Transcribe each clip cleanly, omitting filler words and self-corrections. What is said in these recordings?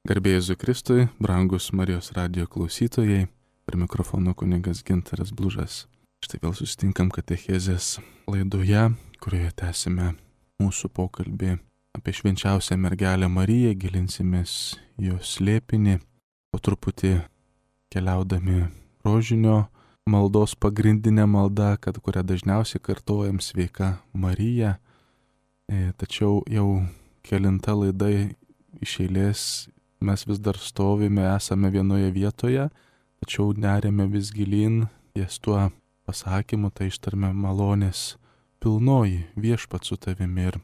Garbė Jėzui Kristui, brangus Marijos radijo klausytojai, prie mikrofono kunigas Gintaras Blužas. Štai vėl susitinkam katechezės laidoje, kurioje tęsime mūsų pokalbį apie švenčiausią mergelę Mariją, gilinsimės jos slėpinį, po truputį keliaudami rožinio maldos pagrindinę maldą, kurią dažniausiai kartojam sveika Marija. Tačiau jau kelinta laida iš eilės mes vis dar stovime, esame vienoje vietoje, tačiau neriame vis gilyn, ties tuo pasakymu, tai ištarme malonės pilnoji viešpat su tavimi ir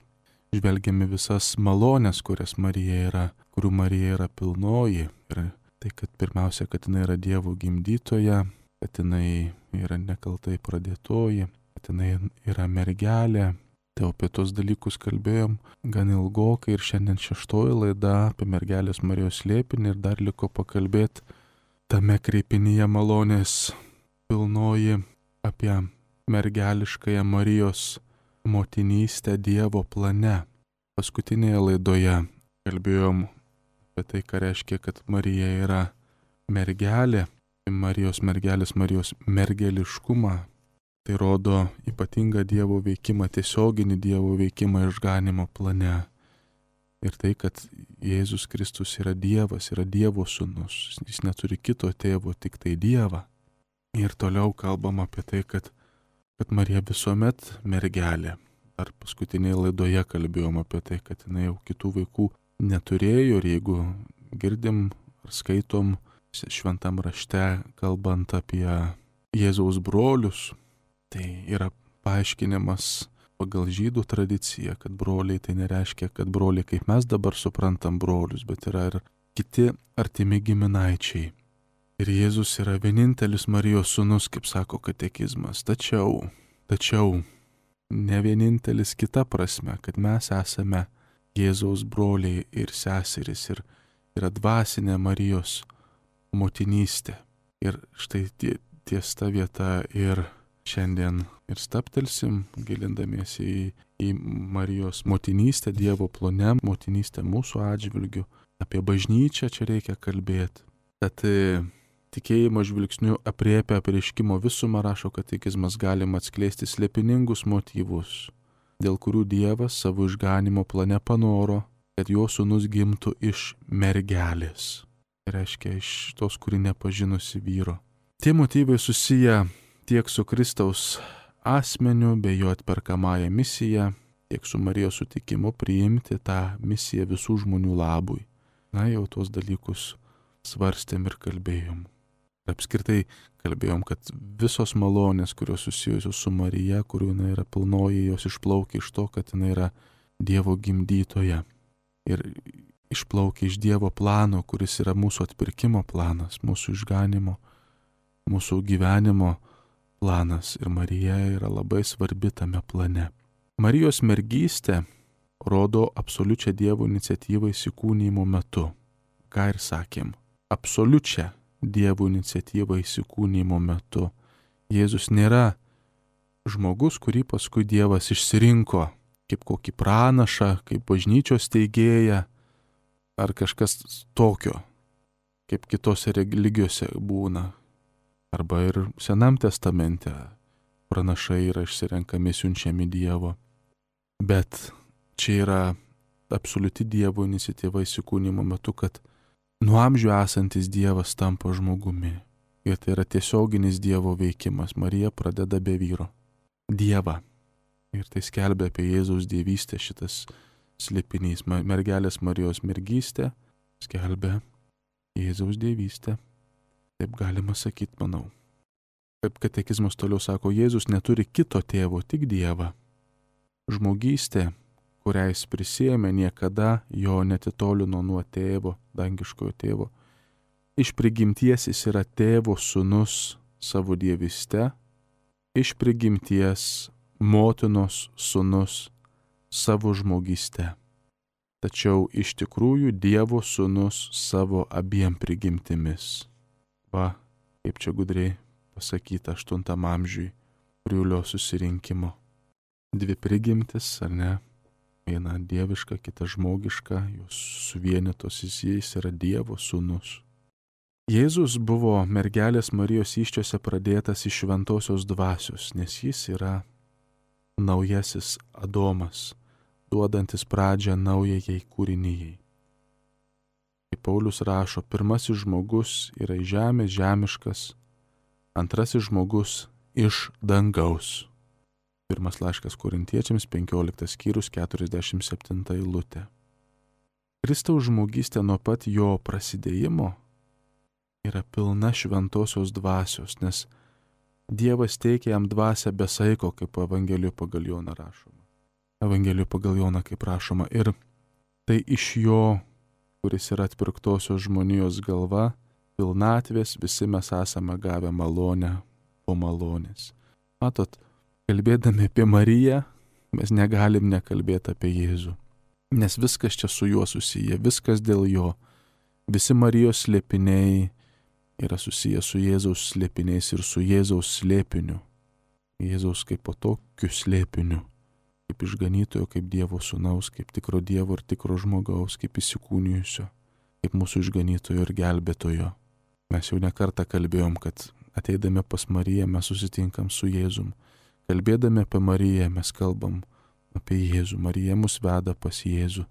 žvelgiame visas malonės, kurių Marija yra pilnoji. Ir tai, kad pirmiausia, kad jinai yra Dievo gimdytoja, kad jinai yra nekaltai pradėtoji, kad jinai yra mergelė. Tai apie tos dalykus kalbėjom gan ilgokai ir šiandien šeštoji laida apie mergelės Marijos slėpinį ir dar liko pakalbėti tame kreipinyje malonės pilnoji apie mergeliškąją Marijos motinystę Dievo plane. Paskutinėje laidoje kalbėjom apie tai, ką reiškia, kad Marija yra mergelė, Marijos mergelės, Marijos mergeliškumą. Tai rodo ypatingą Dievo veikimą, tiesioginį Dievo veikimą išganimo plane. Ir tai, kad Jėzus Kristus yra Dievas, yra Dievo sūnus, jis neturi kito tėvo, tik tai Dievą. Ir toliau kalbam apie tai, kad Marija visuomet mergelė. Ar paskutinėje laidoje kalbėjom apie tai, kad jinai jau kitų vaikų neturėjo ir jeigu girdim ar skaitom šventam rašte, kalbant apie Jėzaus brolius, tai yra paaiškinimas pagal žydų tradiciją, kad broliai tai nereiškia, kad broliai, kaip mes dabar suprantam brolius, bet yra ir kiti artimi giminaičiai. Ir Jėzus yra vienintelis Marijos sūnus, kaip sako katekizmas. Tačiau ne vienintelis kita prasme, kad mes esame Jėzaus broliai ir seserys ir yra dvasinė Marijos motinystė. Ir štai ties ta vieta ir šiandien ir stabtelsim, gilindamiesi į Marijos motinystę Dievo plane, motinystę mūsų atžvilgiu. Apie bažnyčią čia reikia kalbėti. Tad tikėjimo žvilgsniu apriepia apreiškimo visumą, rašo katekizmas, galima atskleisti slėpiningus motyvus, dėl kurių Dievas savo išganimo plane panoro, kad jo sūnus gimtų iš mergelės. Tai reiškia iš tos, kuri nepažinusi vyro. Tie motyvai susiję tiek su Kristaus asmeniu bei jo atperkamąją misiją, tiek su Marijos sutikimu priimti tą misiją visų žmonių labui. Na, jau tuos dalykus svarstėm ir kalbėjom. Apskritai kalbėjom, kad visos malonės, kurios susijusios su Marija, kurių jinai yra pilnoji, jos išplaukia iš to, kad jinai yra Dievo gimdytoja. Ir išplaukia iš Dievo plano, kuris yra mūsų atpirkimo planas, mūsų išganimo, mūsų gyvenimo planas. Ir Marija yra labai svarbi tame plane. Marijos mergystė rodo absoliučią Dievo iniciatyvą įsikūnijimo metu. Ką ir sakėm, absoliučią Dievo iniciatyvą įsikūnijimo metu. Jėzus nėra žmogus, kurį paskui Dievas išsirinko kaip kokį pranašą, kaip bažnyčios teigėją ar kažkas tokio, kaip kitose religijose būna. Arba ir Senam testamente pranašai yra išsirenkami, siunčiami Dievo. Bet čia yra absoliuti Dievo iniciatyva įsikūnijimo metu, kad nuo amžių esantis Dievas tampa žmogumi. Ir tai yra tiesioginis Dievo veikimas. Marija pradeda be vyro Dievą. Ir tai skelbia apie Jėzaus dievystę šitas slėpinys. Mergelės Marijos mergystė skelbia Jėzaus dievystę. Taip galima sakyti, manau. Kaip katekizmas toliau sako, Jėzus neturi kito tėvo, tik Dievą. Žmogystė, kurią jis prisiėmė, niekada jo netitolino nuo tėvo, dangiškojo tėvo. Iš prigimties jis yra tėvo sūnus savo dievyste, iš prigimties motinos sūnus savo žmogyste. Tačiau iš tikrųjų Dievo sūnus savo abiem prigimtimis. Va, kaip čia gudriai pasakyta 8 amžiui Priulio susirinkimo. Dvi prigimtis, ar ne? Viena dieviška, kita žmogiška, jos suvienytos, jis yra Dievo sūnus. Jėzus buvo mergelės Marijos įsčiose pradėtas iš šventosios dvasios, nes jis yra naujasis Adomas, duodantis pradžią naujajai kūrinijai. Kaip Paulius rašo, pirmasis žmogus yra iš žemės žemiškas, antrasis žmogus iš dangaus. Pirmas laiškas Korintiečiams 15 skyrius 47 eilutė. Kristaus žmogystė nuo pat jo prasidėjimo yra pilna šventosios dvasios, nes Dievas teikia jam dvasią be saiko, kaip Evangelijų pagal Joną rašoma. Evangelijų pagal Joną kaip rašoma. Ir tai iš jo, kuris yra atpirktosios žmonijos galva, pilnatvės visi mes esame gavę malonę po malonės. Matot, kalbėdami apie Mariją, mes negalim nekalbėti apie Jėzų. Nes viskas čia su juo susiję, viskas dėl jo. Visi Marijos slėpiniai yra susiję su Jėzaus slėpiniais ir su Jėzaus slėpiniu. Jėzaus kaip po tokiu slėpiniu, kaip išganytojo, kaip Dievo sūnaus, kaip tikro Dievo ir tikro žmogaus, kaip įsikūnijusio, kaip mūsų išganytojo ir gelbėtojo. Mes jau nekartą kalbėjom, kad ateidami pas Mariją mes susitinkam su Jėzum. Kalbėdami apie Mariją mes kalbam apie Jėzų. Marija mus veda pas Jėzų.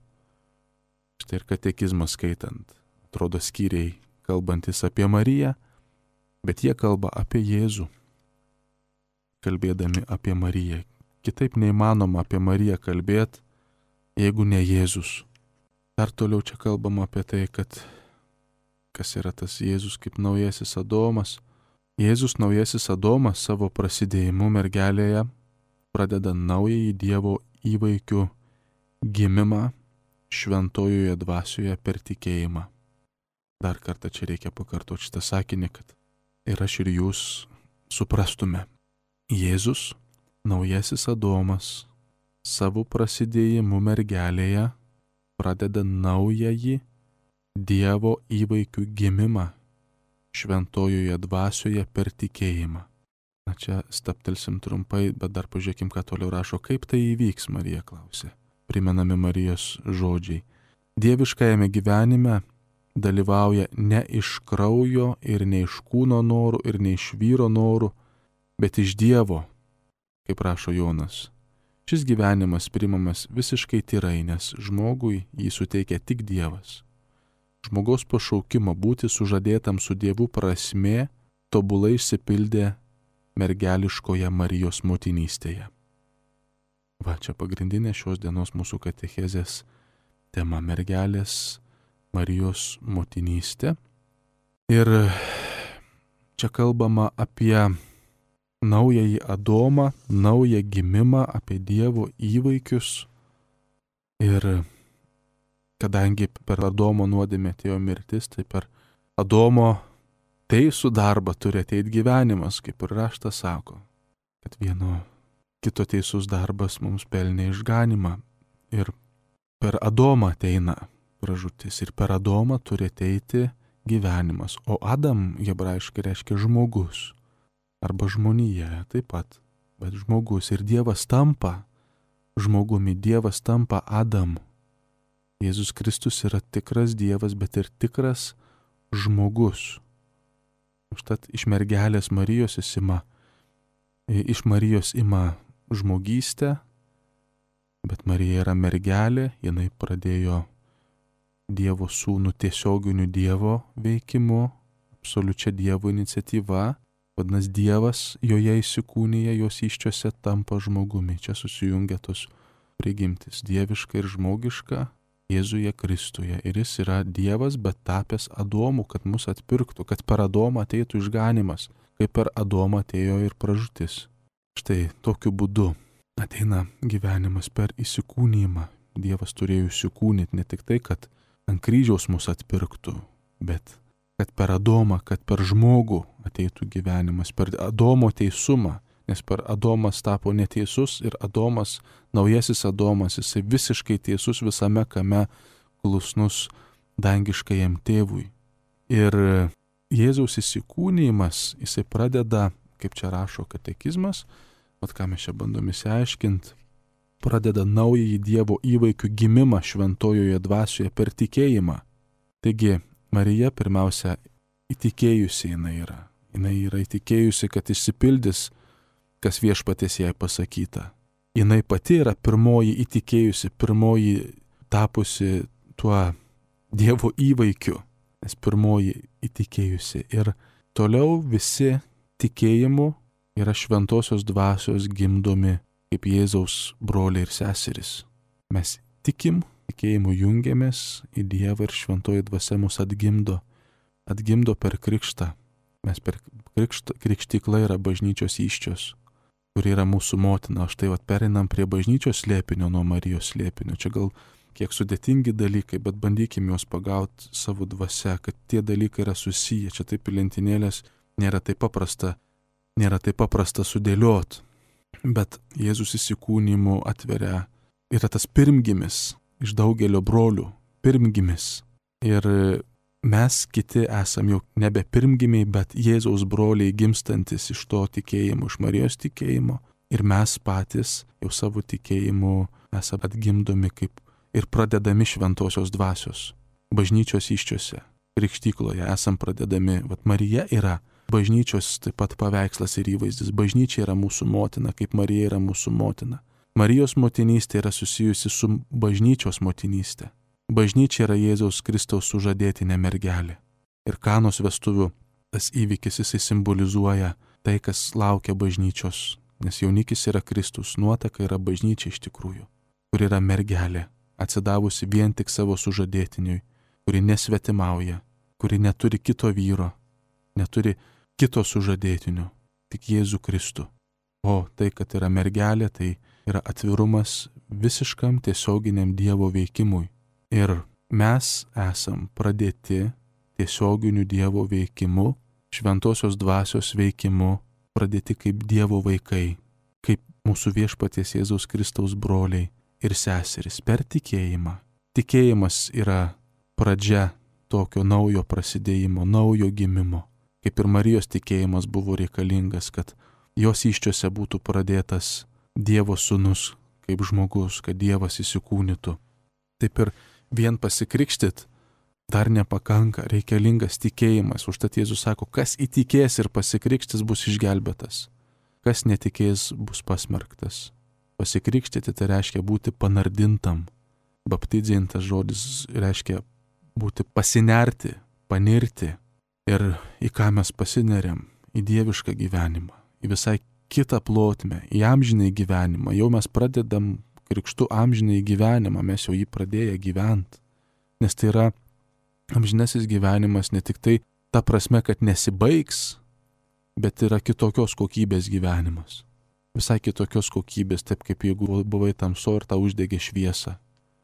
Štai ir katekizmas skaitant, atrodo skyriai kalbantis apie Mariją, bet jie kalba apie Jėzų, kalbėdami apie Mariją. Kitaip neįmanoma apie Mariją kalbėti, jeigu ne Jėzus. Dar toliau čia kalbama apie tai, kad kas yra tas Jėzus kaip naujasis Adomas. Jėzus naujasis Adomas savo prasidėjimu mergelėje pradeda naująjį Dievo įvaikių gimimą šventojoje dvasioje per tikėjimą. Dar kartą čia reikia pakartoti šitą sakinį, kad ir aš ir jūs suprastume. Jėzus, naujasis Adomas, savo prasidėjimu mergelėje pradeda naująjį Dievo įvaikių gimimą šventojoje dvasioje per tikėjimą. Na čia staptelsim trumpai, bet dar pažiūrėkim, ką toliau rašo. Kaip tai įvyks, Marija klausė. Primenami Marijos žodžiai. Dieviškajame gyvenime dalyvauja ne iš kraujo ir ne iš kūno norų ir ne iš vyro norų, bet iš Dievo, kaip rašo Jonas. Šis gyvenimas priimamas visiškai tyrai, nes žmogui jį suteikia tik Dievas. Žmogaus pašaukimo būti sužadėtam su Dievu prasmė tobulai išsipildė mergeliškoje Marijos motinystėje. Va, čia pagrindinė šios dienos mūsų katechezės tema - mergelės Marijos motinystė. Ir čia kalbama apie naująjį Adomą, naują gimimą, apie Dievo įvaikius. Ir kadangi per Adomo nuodėmę atėjo mirtis, tai per Adomo teisų darbą turi ateiti gyvenimas, kaip ir raštas sako, kad vieno kito teisus darbas mums pelnė išganymą. Ir per Adomą ateina pražūtis ir per Adomą turi ateiti gyvenimas. O Adam hebrajiškai reiškia žmogus arba žmonija taip pat, bet žmogus. Ir Dievas tampa žmogumi, Dievas tampa Adamu. Jėzus Kristus yra tikras Dievas, bet ir tikras žmogus. Užtat iš mergelės Marijos iš Marijos ima žmogystę, bet Marija yra mergelė, jinai pradėjo Dievo sūnų tiesioginiu Dievo veikimu, absoliučia Dievo iniciatyva, vadinasi Dievas joje įsikūnija, jos įsčiose tampa žmogumi. Čia susijungia tos prigimtis, dieviška ir žmogiška, Jėzuje Kristuje. Ir jis yra Dievas, bet tapęs Adomu, kad mus atpirktų, kad per Adomą ateitų išganimas, kaip per Adomą atėjo ir pražūtis. Štai tokiu būdu ateina gyvenimas per įsikūnijimą. Dievas turėjo įsikūnyti ne tik tai, kad ant kryžiaus mus atpirktų, bet kad per Adomą, kad per žmogų ateitų gyvenimas, per Adomo teisumą, nes per Adomas tapo neteisus ir Adomas, naujasis Adomas, jisai visiškai teisus visame kame, klusnus dangiškajam tėvui. Ir Jėzaus įsikūnijimas, jisai pradeda, kaip čia rašo katekizmas, vat ką mes čia bandom įsiaiškinti, pradeda naująjį Dievo įvaikių gimimą šventojoje dvasioje per tikėjimą. Taigi, Marija pirmiausia įtikėjusi jinai yra. Jinai yra įtikėjusi, kad išsipildys, kas Viešpaties jai pasakyta. Jinai pati yra pirmoji įtikėjusi, pirmoji tapusi tuo Dievo įvaikiu, nes pirmoji įtikėjusi. Ir toliau visi tikėjimu yra šventosios dvasios gimdomi kaip Jėzaus broliai ir seserys. Mes tikim, tikėjimu jungiamės į Dievą ir šventoji dvasia mus atgimdo per krikštą. Mes per krikštyklą yra bažnyčios įsčios, kuri yra mūsų motina. Štai pereinam prie bažnyčios slėpinio nuo Marijos slėpinio. Čia gal kiek sudėtingi dalykai, bet bandykime juos pagauti savo dvasia, kad tie dalykai yra susiję. Čia taip į lentynėlės nėra taip paprasta sudėliot. Bet Jėzus įsikūnimu atveria, yra tas pirmgimis iš daugelio brolių, pirmgimis. Ir mes kiti esam jau nebe pirmgimiai, bet Jėzaus broliai gimstantis iš to tikėjimo, iš Marijos tikėjimo. Ir mes patys jau savo tikėjimu esame atgimdomi kaip ir pradedami šventosios dvasios. Bažnyčios įsčiose, krikštykloje esam pradedami. Marija yra bažnyčios taip pat paveikslas ir įvaizdis. Bažnyčia yra mūsų motina, kaip Marija yra mūsų motina. Marijos motinystė yra susijusi su bažnyčios motinystė. Bažnyčia yra Jėzaus Kristaus sužadėtinė mergelė. Ir Kanos vestuvių tas įvykis jisai simbolizuoja tai, kas laukia bažnyčios. Nes jaunikis yra Kristus, nuotaka yra bažnyčia iš tikrųjų, kur yra mergelė, atsidavusi vien tik savo sužadėtiniui, kuri nesvetimauja, kuri neturi kito vyro, neturi kito sužadėtinio, tik Jėzų Kristų. O tai, kad yra mergelė, tai yra atvirumas visiškam tiesioginiam Dievo veikimui. Ir mes esam pradėti tiesioginiu Dievo veikimu, šventosios dvasios veikimu, pradėti kaip Dievo vaikai, kaip mūsų Viešpaties Jėzaus Kristaus broliai ir seserys per tikėjimą. Tikėjimas yra pradžia tokio naujo prasidėjimo, naujo gimimo. Kaip ir Marijos tikėjimas buvo reikalingas, kad jos įsčiose būtų pradėtas Dievo sūnus kaip žmogus, kad Dievas įsikūnytų. Taip ir vien pasikrikštyt dar nepakanka, reikalingas tikėjimas. Užtat Jėzus sako, kas įtikės ir pasikrikštys bus išgelbėtas. Kas netikės bus pasmerktas. Pasikrikštyti tai reiškia būti panardintam. Baptidzintas žodis reiškia būti pasinerti, panirti. Ir į ką mes pasineriam? Į dievišką gyvenimą, į visai kitą plotmę, į amžinai gyvenimą. Jau mes pradedam krikštu amžinai gyvenimą, mes jau jį pradėję gyventi. Nes tai yra amžinasis gyvenimas ne tik tai ta prasme, kad nesibaigs, bet yra kitokios kokybės gyvenimas. Visai kitokios kokybės, taip kaip jeigu buvai tamso ir tau uždegė šviesą.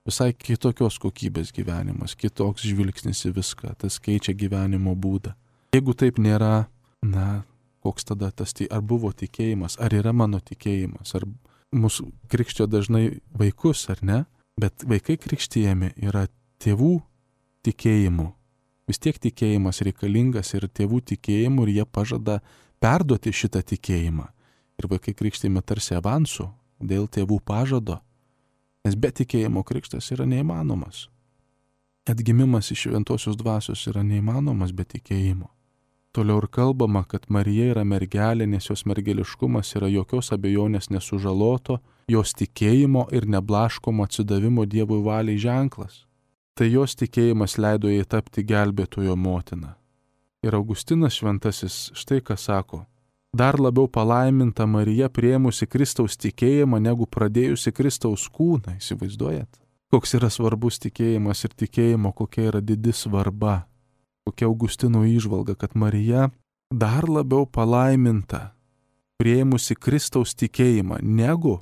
Visai kitokios kokybės gyvenimas, kitoks žvilgsnis į viską, tas keičia gyvenimo būdą. Jeigu taip nėra, koks tada tas, ar buvo tikėjimas, ar yra mano tikėjimas, ar mūsų krikštio dažnai vaikus, ar ne, bet vaikai krikštijami yra tėvų tikėjimu. Vis tiek tikėjimas reikalingas ir tėvų tikėjimu ir jie pažada perduoti šitą tikėjimą. Ir vaikai krikštijami tarsi avansu dėl tėvų pažado, nes be tikėjimo krikštas yra neįmanomas. Atgimimas iš šventosios dvasios yra neįmanomas be tikėjimo. Toliau ir kalbama, kad Marija yra mergelė, nes jos mergeliškumas yra jokios abejonės nesužaloto, jos tikėjimo ir neblaškomo atsidavimo Dievui valiai ženklas. Tai jos tikėjimas leido jai tapti gelbėtojo motina. Ir Augustinas šventasis štai ką sako: dar labiau palaiminta Marija priėmusi Kristaus tikėjimą, negu pradėjusi Kristaus kūną. Įsivaizduojat? Koks yra svarbus tikėjimas ir tikėjimo, kokia yra didi svarba. Kokia Augustino įžvalga, kad Marija dar labiau palaiminta priėmusi Kristaus tikėjimą, negu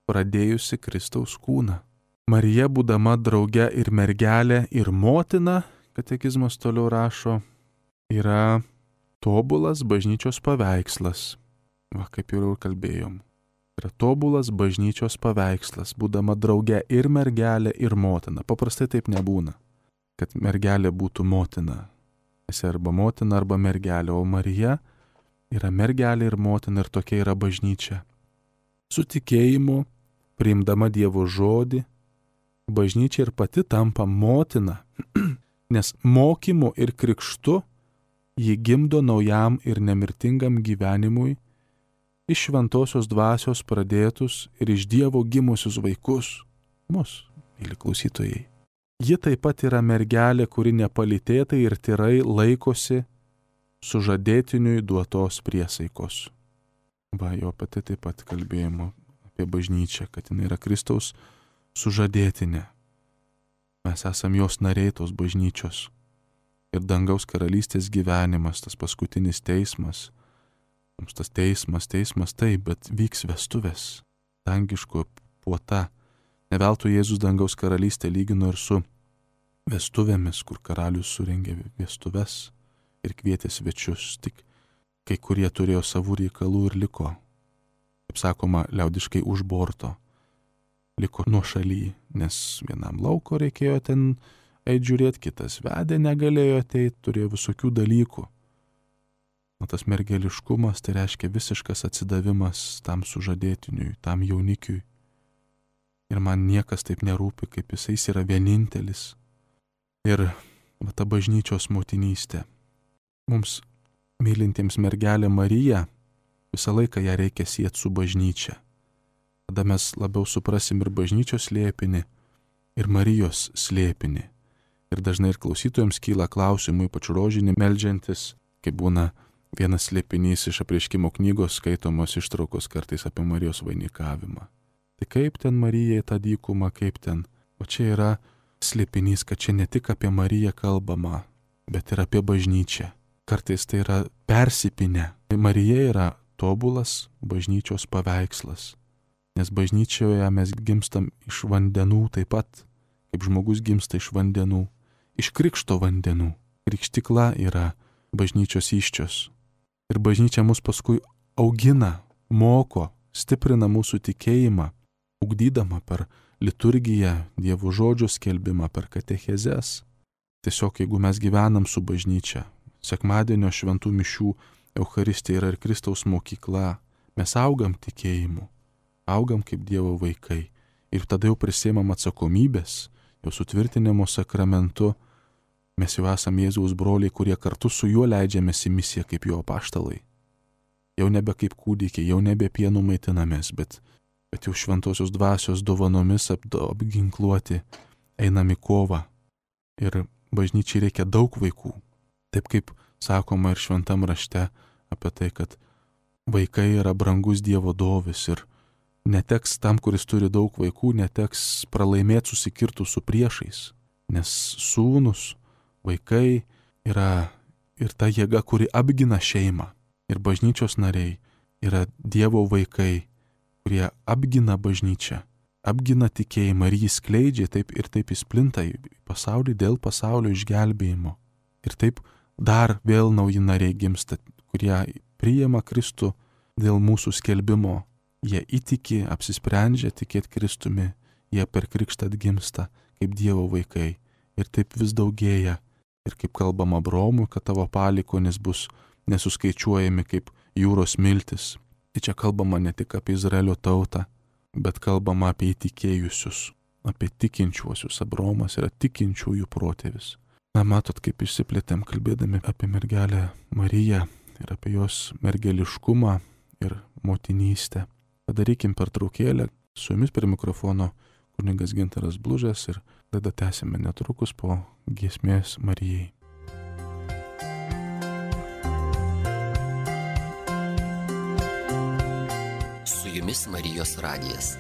pradėjusi Kristaus kūną. Marija, būdama drauge ir mergelė, ir motina, katekizmas toliau rašo, yra tobulas bažnyčios paveikslas. Kaip jau kalbėjom. Yra tobulas bažnyčios paveikslas, būdama drauge ir mergelė, ir motina. Paprastai taip nebūna, kad mergelė būtų motina. Esi arba motina, arba mergelė, o Marija yra mergelė ir motina, ir tokia yra bažnyčia. Su tikėjimu priimdama Dievo žodį, bažnyčia ir pati tampa motina, nes mokymu ir krikštu ji gimdo naujam ir nemirtingam gyvenimui iš šventosios dvasios pradėtus ir iš Dievo gimusius vaikus, mus, myli klausytojai. Ji taip pat yra mergelė, kuri nepalytėtai ir tyrai laikosi sužadėtiniui duotos priesaikos. Va, jo pati taip pat kalbėjimo apie bažnyčią, kad jinai yra Kristaus sužadėtinė. Mes esam jos nariai tos bažnyčios. Ir dangaus karalystės gyvenimas, tas paskutinis teismas. Mums tas teismas taip, bet vyks vestuvės, dangiško puota. Ne veltui Jėzus dangaus karalystę lygino ir su vestuvėmis, kur karalius surengė vestuves ir kvietė svečius. Tik kai kurie turėjo savų reikalų ir liko, kaip sakoma, liaudiškai už borto. Liko nuošaly, nes vienam lauko reikėjo ten eit žiūrėti, kitas vedė negalėjo ateit, turėjo visokių dalykų. O tas mergeliškumas tai reiškia visiškas atsidavimas tam sužadėtiniui, tam jaunikiui. Ir man niekas taip nerūpi, kaip jis yra vienintelis. Ir va, ta bažnyčios motinystė. Mums mylintiems mergelę Mariją visą laiką ją reikia sieti su bažnyčia. Tada mes labiau suprasim ir bažnyčios slėpinį, ir Marijos slėpinį. Ir dažnai ir klausytojams kyla klausimų, ypač rožinį meldžiantis, kai būna vienas slėpinys iš Apreiškimo knygos skaitomos ištraukos kartais apie Marijos vainikavimą. Tai kaip ten Marijai tą dykumą, kaip ten? O čia yra slėpinys, kad čia ne tik apie Mariją kalbama, bet ir apie bažnyčią. Kartais tai yra persipinę. Marija yra tobulas bažnyčios paveikslas. Nes bažnyčioje mes gimstam iš vandenų taip pat, kaip žmogus gimsta iš vandenų, iš krikšto vandenų. Krikštykla yra bažnyčios įsčios. Ir bažnyčia mus paskui augina, moko, stiprina mūsų tikėjimą, ugdydama per liturgiją, Dievo žodžio skelbimą, per katechezes. Tiesiog jeigu mes gyvenam su bažnyčia, sekmadienio šventų mišių Eucharistija yra ir Kristaus mokykla, mes augam tikėjimu, augam kaip Dievo vaikai ir tada jau prisiimam atsakomybės, jau sutvirtinimo sakramentu. Mes jau esame Jėzaus broliai, kurie kartu su juo leidžiamės į misiją kaip jo apaštalai. Jau nebe kaip kūdikiai, jau nebe pienų maitinamės, bet jau šventosios dvasios dovanomis apginkluoti einam į kovą. Ir bažnyčiai reikia daug vaikų. Taip kaip sakoma ir šventam rašte apie tai, kad vaikai yra brangus Dievo dovis ir neteks tam, kuris turi daug vaikų, neteks pralaimėti susikirtų su priešais, nes sūnus, vaikai yra ir ta jėga, kuri apgina šeimą. Ir bažnyčios nariai yra Dievo vaikai, kurie apgina bažnyčią, apgina tikėjimą ir jį skleidžia taip ir taip įsplinta į pasaulį dėl pasaulio išgelbėjimo. Ir taip dar vėl nauji nariai gimsta, kurie priima Kristų dėl mūsų skelbimo. Jie įtiki, apsisprendžia tikėti Kristumi, jie per krikštą atgimsta kaip Dievo vaikai. Ir taip vis daugėja. Ir kaip kalbama Abraomui, kad tavo palikonis bus nesuskaičiuojami kaip jūros miltis. Tai čia kalbama ne tik apie Izraelio tautą, bet kalbama apie įtikėjusius, apie tikinčiuosius. Abraomas yra tikinčiųjų protėvis. Na, matot, kaip išsiplėtėm kalbėdami apie mergelę Mariją ir apie jos mergeliškumą ir motinystę. Padarykim pertraukėlę. Su jumis prie mikrofono kunigas Gintaras Blužas ir laidą tęsime netrukus po giesmės Marijai. Su jumis Marijos radijas.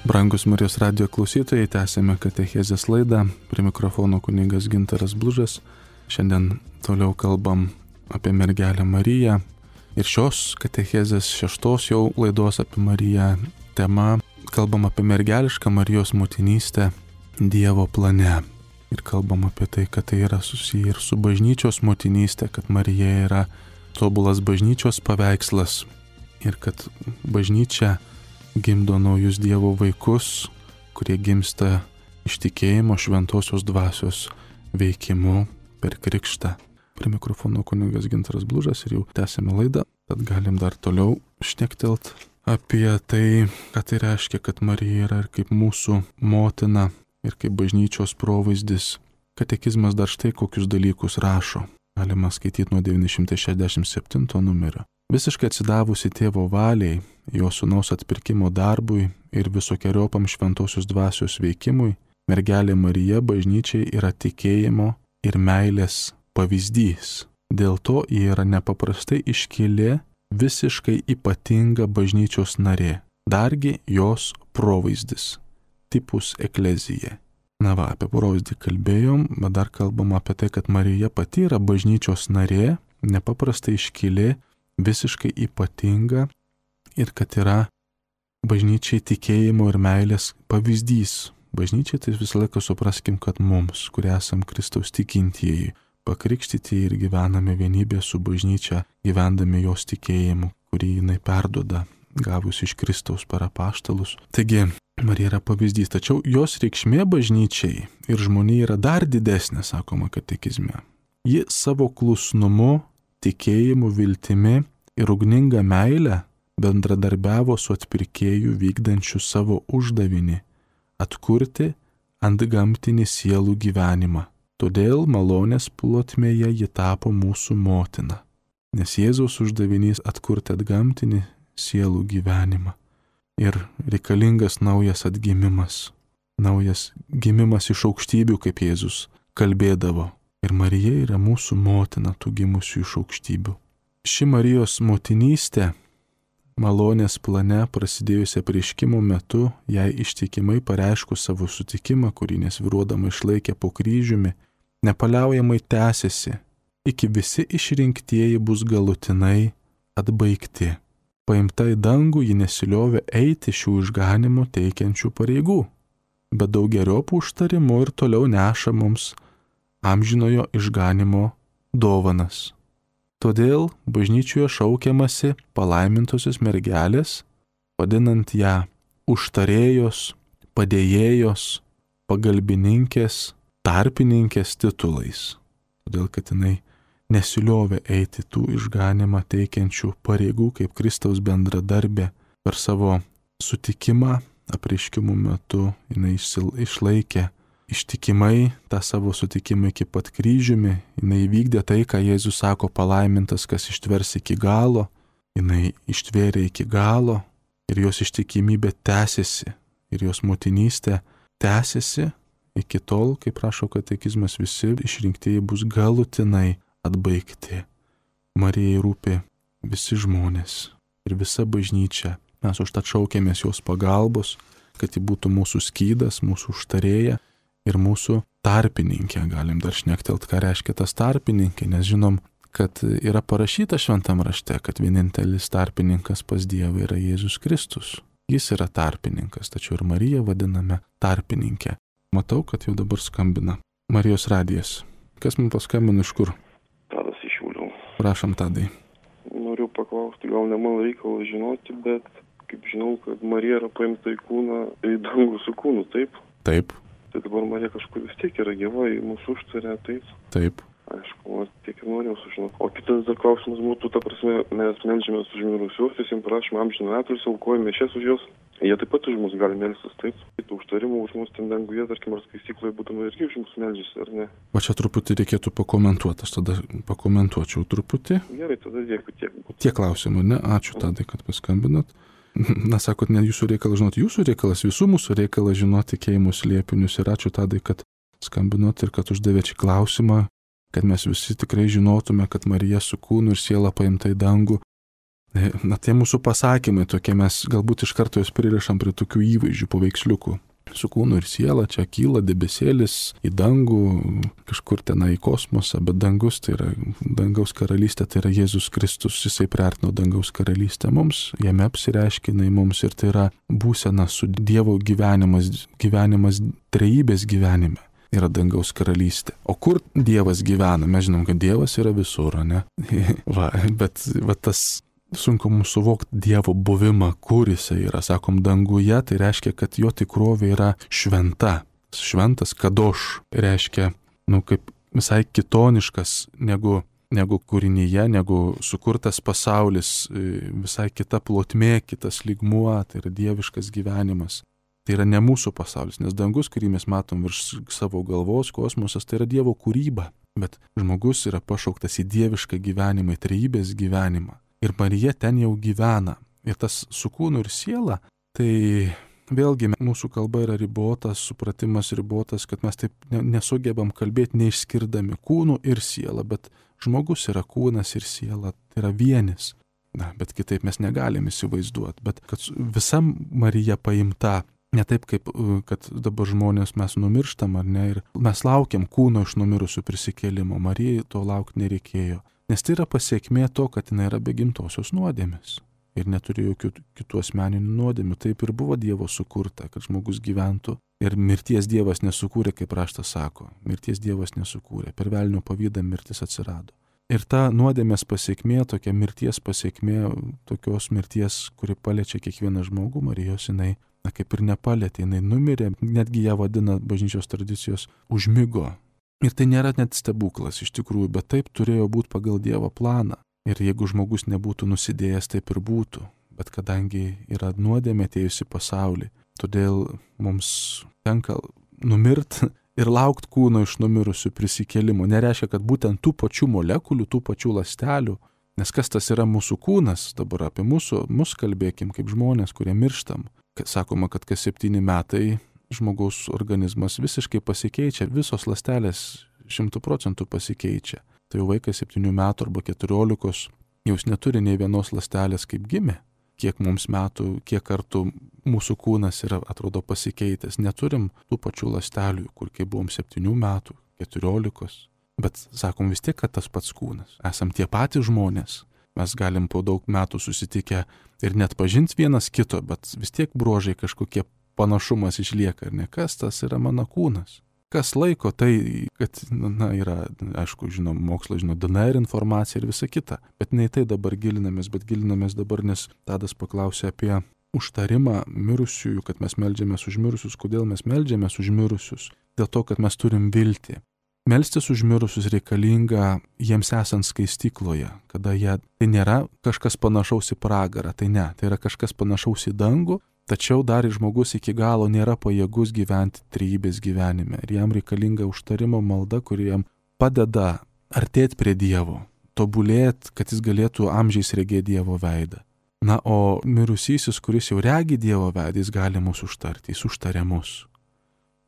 Brangus Marijos radijo klausytojai, tęsėme katechezės laidą. Prie mikrofono kunigas Gintaras Blužas. Šiandien toliau kalbam apie mergelę Mariją. Ir šios katechezės 6 jau laidos apie Mariją tema kalbam apie mergelišką Marijos motinystę Dievo plane. Ir kalbam apie tai, kad tai yra susiję ir su bažnyčios motinystė, kad Marija yra tobulas bažnyčios paveikslas ir kad bažnyčia gimdo naujus Dievo vaikus, kurie gimsta iš tikėjimo šventosios dvasios veikimu per krikštą. Prie mikrofono kunigas Gintaras Blužas ir jau tęsėme laidą, tad galim dar toliau šnektelt apie tai, ką tai reiškia, kad Marija yra ir kaip mūsų motina ir kaip bažnyčios provaizdis. Katekizmas dar štai kokius dalykus rašo. Galima skaityti nuo 967 numerio. Visiškai atsidavusi tėvo valiai, jo sūnaus atpirkimo darbui ir visokiojopam šventosios dvasios veikimui, mergelė Marija bažnyčiai yra tikėjimo ir meilės pavyzdys. Dėl to ji yra nepaprastai iškili, visiškai ypatinga bažnyčios narė, dargi jos provaizdis, tipus eklezija. Na va, apie provaizdį kalbėjom, bet dar kalbam apie tai, kad Marija pati yra bažnyčios narė, nepaprastai iškili, visiškai ypatinga ir kad yra bažnyčiai tikėjimo ir meilės pavyzdys. Bažnyčiai tai visą laiką supraskim, kad mums, kurie esam Kristaus tikintieji, pakrikštyti ir gyvename vienybė su bažnyčia, gyvendami jos tikėjimu, kurį jinai perduoda, gavus iš Kristaus per apaštalus. Taigi, Marija yra pavyzdys, tačiau jos reikšmė bažnyčiai ir žmonijai yra dar didesnė, sakoma katekizme. Ji savo klusnumu, tikėjimu, viltimi ir ugninga meilė bendradarbiavo su atpirkėju vykdančiu savo uždavinį atkurti antgamtinį sielų gyvenimą. Todėl malonės plotmėje ji tapo mūsų motina, nes Jėzaus uždavinys atkurti antgamtinį sielų gyvenimą. Ir reikalingas naujas atgimimas, naujas gimimas iš aukštybių, kaip Jėzus kalbėdavo. Ir Marija yra mūsų motina tų gimusių iš aukštybių. Ši Marijos motinystė malonės plane prasidėjusią apreiškimo metu, jai ištikimai pareiškus savo sutikimą, kurį nesvyruodama išlaikė po kryžiumi, nepaliaujamai tęsiasi, iki visi išrinktieji bus galutinai atbaigti. Paimta į dangų ji nesiliovė eiti šių išganimo teikiančių pareigų, bet daugeriopų užtarimų ir toliau neša mums amžinojo išganimo dovanas. Todėl bažnyčioje šaukiamasi palaimintosios mergelės, vadinant ją užtarėjos, padėjėjos, pagalbininkės, tarpininkės titulais. Todėl, kad jinai nesiliovė eiti tų išganimą teikiančių pareigų kaip Kristaus bendradarbė. Per savo sutikimą apreiškimų metu jinai išlaikė ištikimai tą savo sutikimą iki pat kryžiumi, jinai įvykdė tai, ką Jėzus sako, palaimintas, kas ištvers iki galo, jinai ištvėrė iki galo ir jos ištikimybė tęsiasi ir jos motinystė tęsiasi iki tol, kaip prašo katekizmas, visi išrinktieji bus galutinai atbaigti. Marijai rūpi visi žmonės ir visa bažnyčia. Mes užtat šaukėmės jos pagalbos, kad ji būtų mūsų skydas, mūsų užtarėja ir mūsų tarpininkė. Galim dar šnektelt, ką reiškia tas tarpininkė, nes žinom, kad yra parašyta šventam rašte, kad vienintelis tarpininkas pas Dievą yra Jėzus Kristus. Jis yra tarpininkas, tačiau ir Mariją vadiname tarpininkė. Matau, kad jau dabar skambina Marijos radijas. Kas mums paskambino, iš kur? Tadas iš Šiaulių. Prašom, Tadai. Noriu paklausti, gal ne man reikalas žinoti, bet kaip žinau, kad Marija yra paimta į kūną, į dangų su kūnu, taip? Taip. Tai dabar Marija kažkur vis tiek yra gyva, į mūsų užtarė, taip? Taip. Aišku, tiek ir norėjau sužinoti. O kitas dar klausimas būtų, ta prasme, mes meldžiamės už mirusiuosius, jiems prašome amžiną atilsį, aukojame mišias už juos. Jie taip pat už mus gali melstis, taip? Tų užtarimų už mus ten danguje, tarkim, ar skaistykloje būtume irgi už mus meldžiasi, ar ne? O čia truputį reikėtų pakomentuoti, aš tada pakomentuočiau truputį. Gerai, tada dėkui tiek. Tiek klausimų, ne? Ačiū Tadai, kad paskambinat. Na, sakot, ne jūsų reikalas žinoti, jūsų reikalas, visų mūsų reikalas žinoti tikėjimus liepinius. Ir ačiū Tadai, kad skambinot ir kad uždavėt šį klausimą, kad mes visi tikrai žinotume, kad Marija su kūnu ir siela paimta į dangų Na, tie mūsų pasakymai tokie, mes galbūt iš karto juos pririšam prie tokių įvaizdžių, paveiksliukų. Su kūnu ir siela čia kyla debesėlis į dangų, kažkur tenai į kosmosą, bet dangus tai yra dangaus karalystė, tai yra Jėzus Kristus, jisai priartino dangaus karalystę mums, jame apsireiškia jinai mums ir tai yra būsena su Dievo gyvenimas trejybės gyvenime. Yra dangaus karalystė. O kur Dievas gyvena? Mes žinom, kad Dievas yra visur, ne? bet tas sunku mums suvokti Dievo buvimą, kur jisai yra. Sakom, danguje, tai reiškia, kad jo tikrovė yra šventa. Šventas kadoš reiškia, kaip visai kitoniškas negu kūrinyje, negu sukurtas pasaulis, visai kita plotmė, kitas lygmuo, tai yra dieviškas gyvenimas. Tai yra ne mūsų pasaulis, nes dangus, kurį mes matom virš savo galvos, kosmosas, tai yra Dievo kūryba. Bet žmogus yra pašauktas į dievišką gyvenimą, į trejybės gyvenimą. Ir Marija ten jau gyvena. Ir tas su kūnu ir siela, tai vėlgi mūsų kalba yra ribotas, supratimas ribotas, kad mes taip nesugebam kalbėti neišskirdami kūnų ir sielą, bet žmogus yra kūnas ir siela, tai yra vienis. Bet kitaip mes negalim įsivaizduoti. Bet kad visa Marija paimta, ne taip kaip, kad dabar žmonės mes numirštam ar ne, ir mes laukiam kūno iš numirusių prisikėlimo. Marijai to laukti nereikėjo. Nes tai yra pasiekmė to, kad jinai yra be gimtosios nuodėmės ir neturi jokių kitų asmeninių nuodėmių. Taip ir buvo Dievo sukurta, kad žmogus gyventų. Ir mirties Dievas nesukūrė, kaip raštas sako. Mirties Dievas nesukūrė. Per velnio pavydą mirtis atsirado. Ir ta nuodėmės pasiekmė, tokia mirties pasiekmė, tokios mirties, kuri paliečia kiekvieną žmogų, Marijos jinai, kaip ir nepalietė, jinai numirė, netgi ją vadina bažnyčios tradicijos užmigo. Ir tai nėra net stebuklas iš tikrųjų, bet taip turėjo būti pagal Dievo planą. Ir jeigu žmogus nebūtų nusidėjęs, taip ir būtų. Bet kadangi yra nuodėmė atėjusi pasaulį, todėl mums tenka numirti ir laukti kūno iš numirusių prisikėlimo. Nereiškia, kad būtent tų pačių molekulių, tų pačių ląstelių, nes kas tas yra mūsų kūnas, dabar apie mus kalbėkim kaip žmonės, kurie mirštam. Sakoma, kad kas 7 metai žmogaus organizmas visiškai pasikeičia, visos ląstelės 100% pasikeičia. Tai jau vaikas 7 metų arba 14, jau neturi nei vienos ląstelės kaip gimė. Kiek mums metų, kiek kartų mūsų kūnas yra, atrodo, pasikeitęs. Neturim tų pačių ląstelių, kur kai buvom 7 metų, 14. Bet sakom vis tiek, kad tas pats kūnas. Esam tie patys žmonės. Mes galim po daug metų susitikę ir net pažinti vienas kito, bet vis tiek bruožai kažkokie panašumas išlieka, ar ne? Kas tas yra mano kūnas? Kas laiko tai, kad, yra, aišku, žinom, mokslo, DNR informacija ir visa kita. Bet ne į tai dabar gilinamės, bet gilinamės dabar, nes Tadas paklausė apie užtarimą mirusiųjų, kad mes meldžiamės už mirusius. Kodėl mes meldžiamės už mirusius? Dėl to, kad mes turim viltį. Melstis už mirusius reikalinga jiems esant skaistykloje, kada tai nėra kažkas panašaus į pragarą, tai ne, tai yra kažkas panašaus į dangų, tačiau dar žmogus iki galo nėra pajėgus gyventi trejybės gyvenime ir jam reikalinga užtarimo malda, kuri jam padeda artėti prie Dievo, tobulėti, kad jis galėtų amžiais regėti Dievo veidą. Na, o mirusysis, kuris jau regi Dievo veidą, jis gali mus užtarti, jis užtaria mus.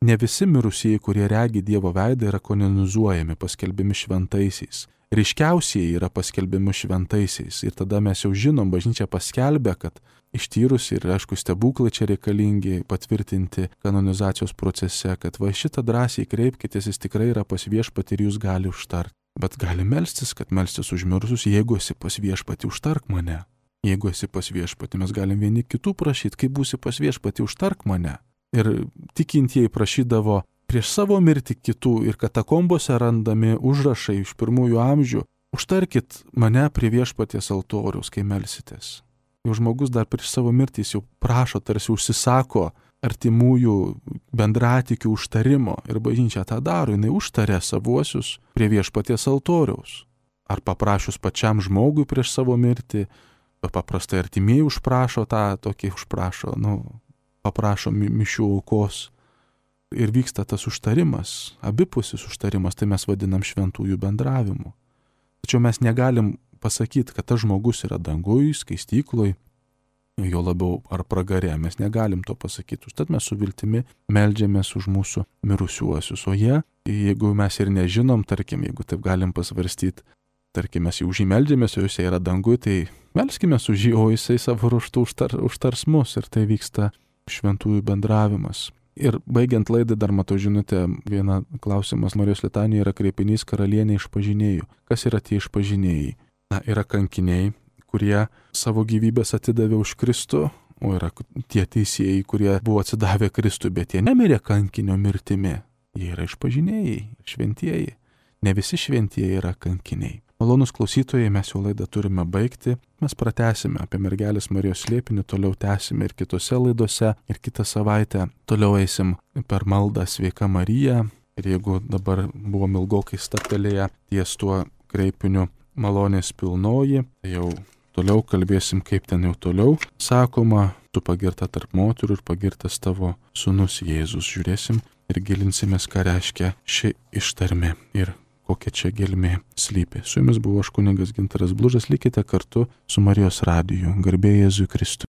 Ne visi mirusieji, kurie regi Dievo veidą, yra kanonizuojami, paskelbiami šventaisiais. Ryškiausiai yra paskelbiami šventaisiais. Ir tada mes jau žinom, bažnyčia paskelbė, kad ištyrus ir, aišku, stebuklai čia reikalingi patvirtinti kanonizacijos procese, kad va šitą drąsiai kreipkitės, jis tikrai yra pas viešpatį ir jūs gali užtarti. Bet gali melstis, kad melstis už mirusius, jeigu esi pas viešpatį, užtark mane. Jeigu esi pas viešpatį, mes galim vieni kitų prašyti, kai būsi pas viešpatį, užtark mane. Ir tikintieji prašydavo prieš savo mirtį kitų ir katakombose randami užrašai iš pirmųjų amžių. Užtarkit mane prie viešpaties altoriaus, kai melsitės. Jau žmogus dar prieš savo mirtį jau prašo, tarsi užsisako artimųjų bendratikių užtarimo. Ir bažnyčia tą daro, jinai užtarė savuosius prie viešpaties altoriaus. Ar paprašius pačiam žmogui prieš savo mirtį, paprastai artimieji užprašo paprašo mišių aukos ir vyksta tas užtarimas, abipusis užtarimas, tai mes vadinam šventųjų bendravimu. Tačiau mes negalim pasakyti, kad tas žmogus yra dangui, skaistykloj, jo labiau ar pragare, mes negalim to pasakyti. Užtat mes su viltimi meldžiamės už mūsų mirusiuosius, o jie, jeigu mes ir nežinom, tarkim, jeigu taip galim pasvarstyti, tarkim, mes jau už jį meldžiamės, o jisai yra dangui, tai melskime už jį, o jisai savo ruožtu užtars mus ir tai vyksta šventųjų bendravimas. Ir baigiant laidą dar matau žinutę, vieną klausimas Marijos litanijoje yra kreipinys karalienė išpažinėjų. Kas yra tie išpažinėjai? Na, yra kankiniai, kurie savo gyvybės atidavė už Kristų, o yra tie teisėjai, kurie buvo atsidavę Kristui, bet jie nemirė kankinio mirtimi. Jie yra išpažinėjai, šventieji. Ne visi šventieji yra kankiniai. Malonus klausytojai, mes jau laidą turime baigti. Mes pratęsime apie mergelės Marijos slėpinį, toliau tęsime ir kitose laidose. Ir kitą savaitę toliau eisim per maldą Sveika Marija. Ir jeigu dabar buvom ilgokai stabtelėję ties tuo kreipiniu malonės pilnoji, tai jau toliau kalbėsim, kaip ten jau toliau sakoma, tu pagirta tarp moterų ir pagirtas tavo sūnus Jėzus. Žiūrėsim ir gilinsimės, ką reiškia ši ištarmė ir kokia čia gelmė slypi. Su jumis buvo aš kunigas Gintaras Blužas, likite kartu su Marijos radiju. Garbė Jėzui Kristui.